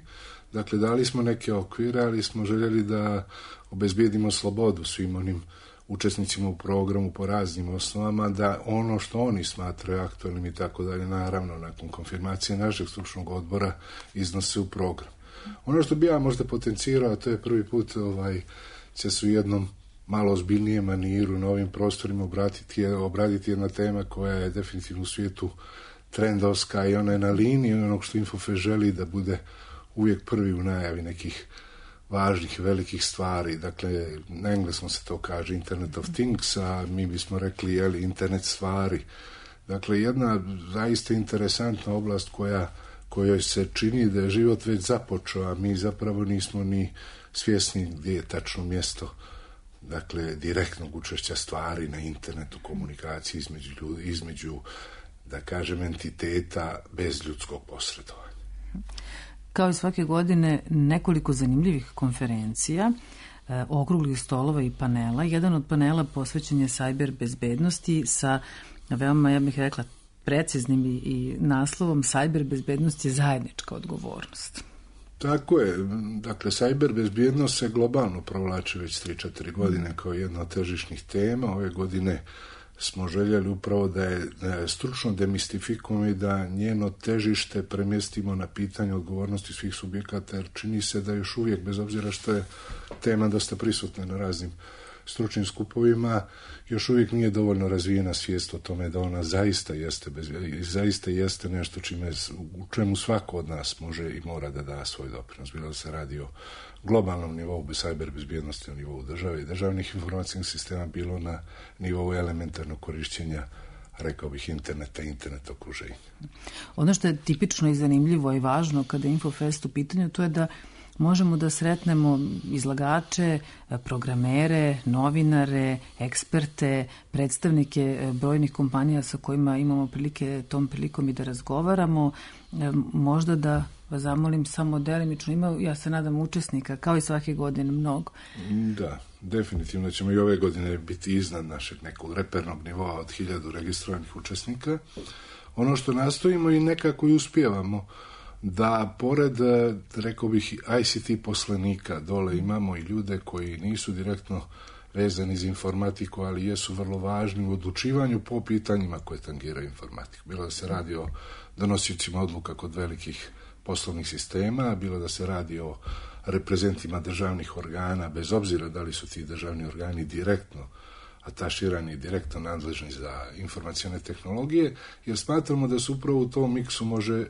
Dakle, dali smo neke okvire, ali smo željeli da obezbijedimo slobodu svim onim učesnicima u programu po raznim osnovama, da ono što oni smatraju aktualnim i tako dalje, naravno, nakon konfirmacije našeg stručnog odbora iznose u program. Ono što bi ja možda potencirao, to je prvi put će se u jednom malo ozbiljnijem maniru na ovim prostorima obraditi jedna tema koja je definitivno u svijetu trendovska i ona je na liniji onog što Infofest želi da bude uvijek prvi u najavi nekih važnih i velikih stvari. Dakle, na engleskom se to kaže Internet of Things, a mi bismo rekli internet stvari. Dakle, jedna zaista interesantna oblast kojoj se čini da je život već započeo, a mi zapravo nismo ni svjesni gdje je tačno mjesto, dakle, direktnog učešća stvari na internetu, komunikaciji između, da kažem, entiteta bez ljudskog posredovanja. Kao i svake godine, nekoliko zanimljivih konferencija, okruglih stolova i panela. Jedan od panela posvećen je sajber bezbednosti sa veoma, ja bih rekla, preciznim i naslovom sajber bezbednost je zajednička odgovornost. Tako je. Dakle, sajber bezbjednost se globalno provlači već 3-4 godine kao jedna od težišnih tema. Ove godine smo željeli upravo da je stručno demistifikujemo i da njeno težište premjestimo na pitanje odgovornosti svih subjekata, jer čini se da još uvijek, bez obzira što je tema dosta prisutna na raznim stručnim skupovima, još uvijek nije dovoljno razvijena svijest o tome da ona zaista jeste nešto u čemu svako od nas može i mora da da svoj doprinos. Bilo da se radi o globalnom nivou sajber bezbjednosti, na nivou države i državnih informacijskih sistema, bilo na nivou elementarnog korišćenja, rekao bih, interneta i internet okruženja. Ono što je tipično i zanimljivo i važno kada je Infofest u pitanju, to je da možemo da sretnemo izlagače, programere, novinare, eksperte, predstavnike brojnih kompanija sa kojima imamo prilike tom prilikom i da razgovaramo. Možda da vas zamolim samo delimično, ima, ja se nadam, učesnika, kao i svake godine, mnogo. Da, definitivno ćemo i ove godine biti iznad našeg nekog repernog nivoa od 1000 registrovanih učesnika. Ono što nastojimo i nekako i uspijevamo, da pored, rekao bih, ICT poslanika dole imamo i ljude koji nisu direktno vezani za informatiku, ali jesu vrlo važni u odlučivanju po pitanjima koje tangiraju informatiku. Bilo da se radi o donosiocima odluka kod velikih poslovnih sistema, bilo da se radi o reprezentima državnih organa, bez obzira da li su ti državni organi direktno ataširani, direktno nadležni za informacione tehnologije, jer smatramo da se upravo u tom miksu može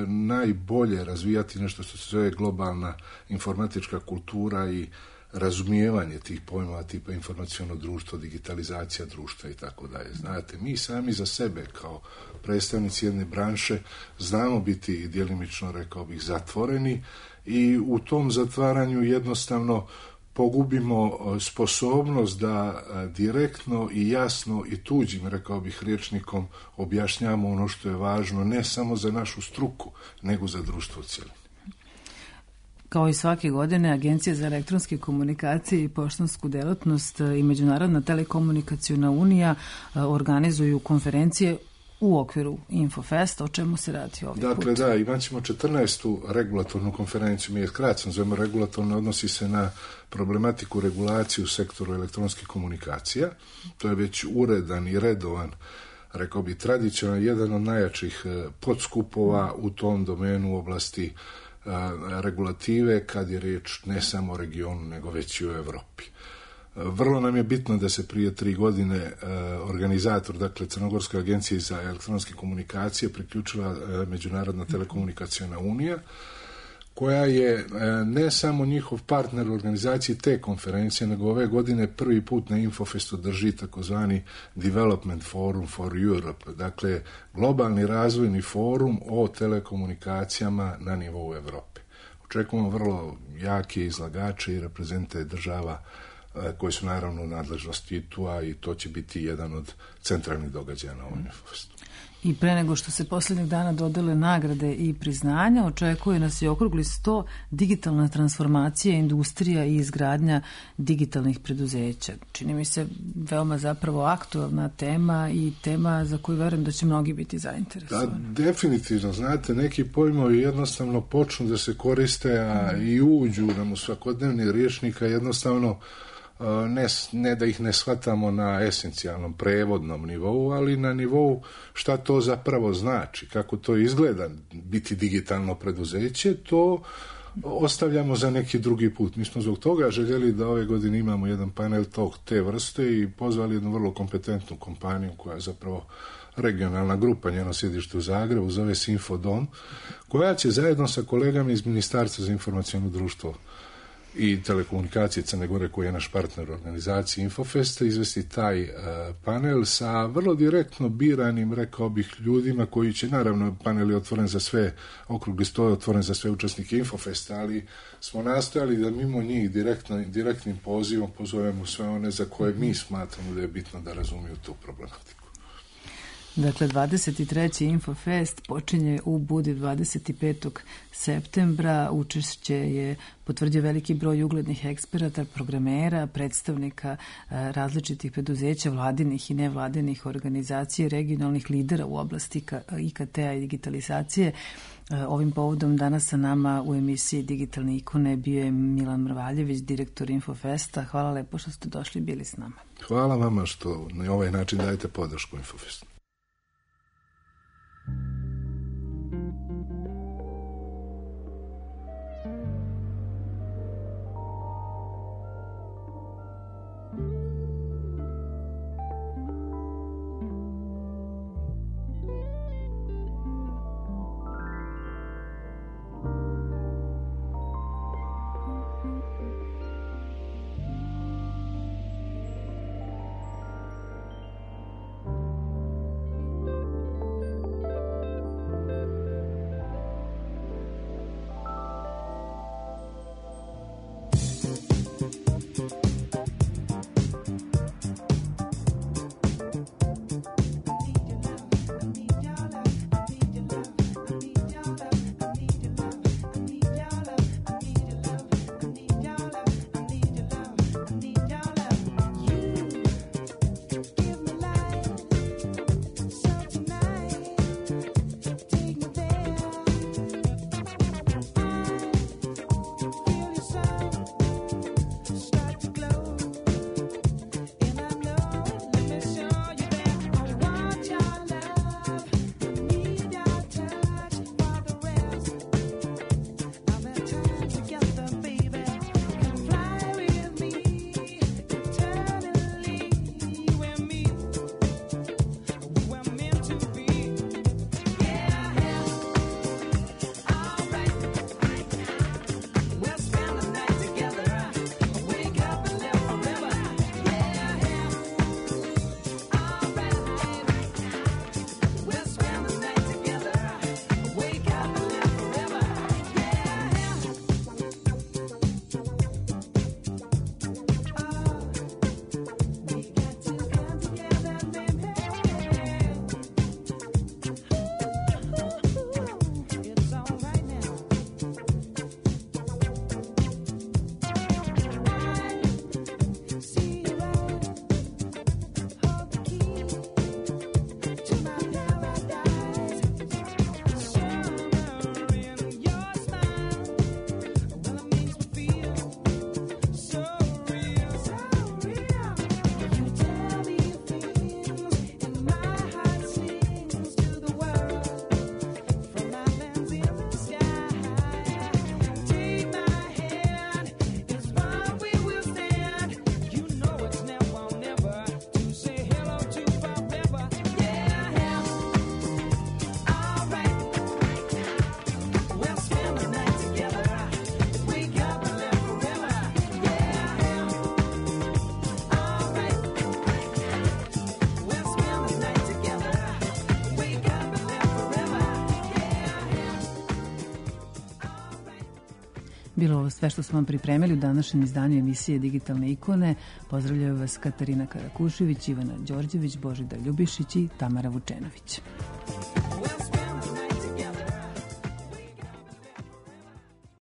najbolje razvijati nešto što se zove globalna informatička kultura i razumijevanje tih pojmova tipa informaciono društvo, digitalizacija društva i tako dalje. Znate, mi sami za sebe kao predstavnici jedne branše znamo biti djelimično, rekao bih, zatvoreni i u tom zatvaranju jednostavno pogubimo sposobnost da direktno i jasno i tuđim, rekao bih, rječnikom objašnjamo ono što je važno ne samo za našu struku, nego za društvo u cjelini. Kao i svake godine, Agencija za elektronske komunikacije i poštansku delatnost i Međunarodna telekomunikacijona unija organizuju konferencije u okviru Infofesta. O čemu se radi ovdje? Dakle, da, imat ćemo 14. regulatornu konferenciju. Mi je skraćeno zovemo regulatorno, odnosi se na problematiku regulacije u sektoru elektronskih komunikacija. To je već uredan i redovan, rekao bi, tradicionalan, jedan od najjačih podskupova u tom domenu u oblasti regulative kad je riječ ne samo o regionu, nego već i u Evropi. Vrlo nam je bitno da se prije 3 godine organizator, dakle Crnogorska agencija za elektronske komunikacije, priključila Međunarodna telekomunikacijona unija, koja je ne samo njihov partner u organizaciji te konferencije, nego ove godine prvi put na Infofestu drži takozvani Development Forum for Europe, dakle globalni razvojni forum o telekomunikacijama na nivou Evrope. Očekujemo vrlo jake izlagače i reprezente država koji su naravno u nadležnosti ITU-a i to će biti jedan od centralnih događaja na ovom Infofestu. I pre nego što se posljednjih dana dodele nagrade i priznanja, očekuje nas i okrugli 100 digitalna transformacija, industrija i izgradnja digitalnih preduzeća. Čini mi se veoma zapravo aktualna tema i tema za koju verujem da će mnogi biti zainteresovani. Da, definitivno, znate, neki pojmovi jednostavno počnu da se koriste, a i uđu nam u svakodnevni rječnik, a jednostavno ne da ih ne shvatamo na esencijalnom prevodnom nivou, ali na nivou šta to zapravo znači, kako to izgleda biti digitalno preduzeće, to ostavljamo za neki drugi put. Mi smo zbog toga željeli da ove godine imamo jedan panel tog te vrste i pozvali jednu vrlo kompetentnu kompaniju koja je zapravo regionalna grupa, njeno sjedište u Zagrebu, zove se Infodom, koja će zajedno sa kolegama iz Ministarstva za informaciono društvo i telekomunikacije Crne Gore, koji je naš partner u organizaciji Infofesta, izvesti taj panel sa vrlo direktno biranim, rekao bih, ljudima koji će, naravno, panel je otvoren za sve, okrugli sto je otvoren za sve učesnike Infofesta, ali smo nastojali da mimo njih direktnim pozivom pozovemo sve one za koje mi smatramo da je bitno da razumiju tu problematiku. Dakle, 23. Infofest počinje u Budi 25. septembra. Učešće je potvrdio veliki broj uglednih eksperata, programera, predstavnika različitih preduzeća, vladinih i nevladinih organizacija, regionalnih lidera u oblasti IKT-a i digitalizacije. Ovim povodom danas sa nama u emisiji Digitalne ikone bio je Milan Mrvaljević, direktor Infofesta. Hvala lepo što ste došli i bili s nama. Hvala vama što na ovaj način dajete podršku Infofestu. Bilo ovo sve što smo vam pripremili u današnjem izdanju emisije Digitalne ikone. Pozdravljaju vas Katarina Karakušević, Ivana Đorđević, Božidar Ljubišić i Tamara Vučenović.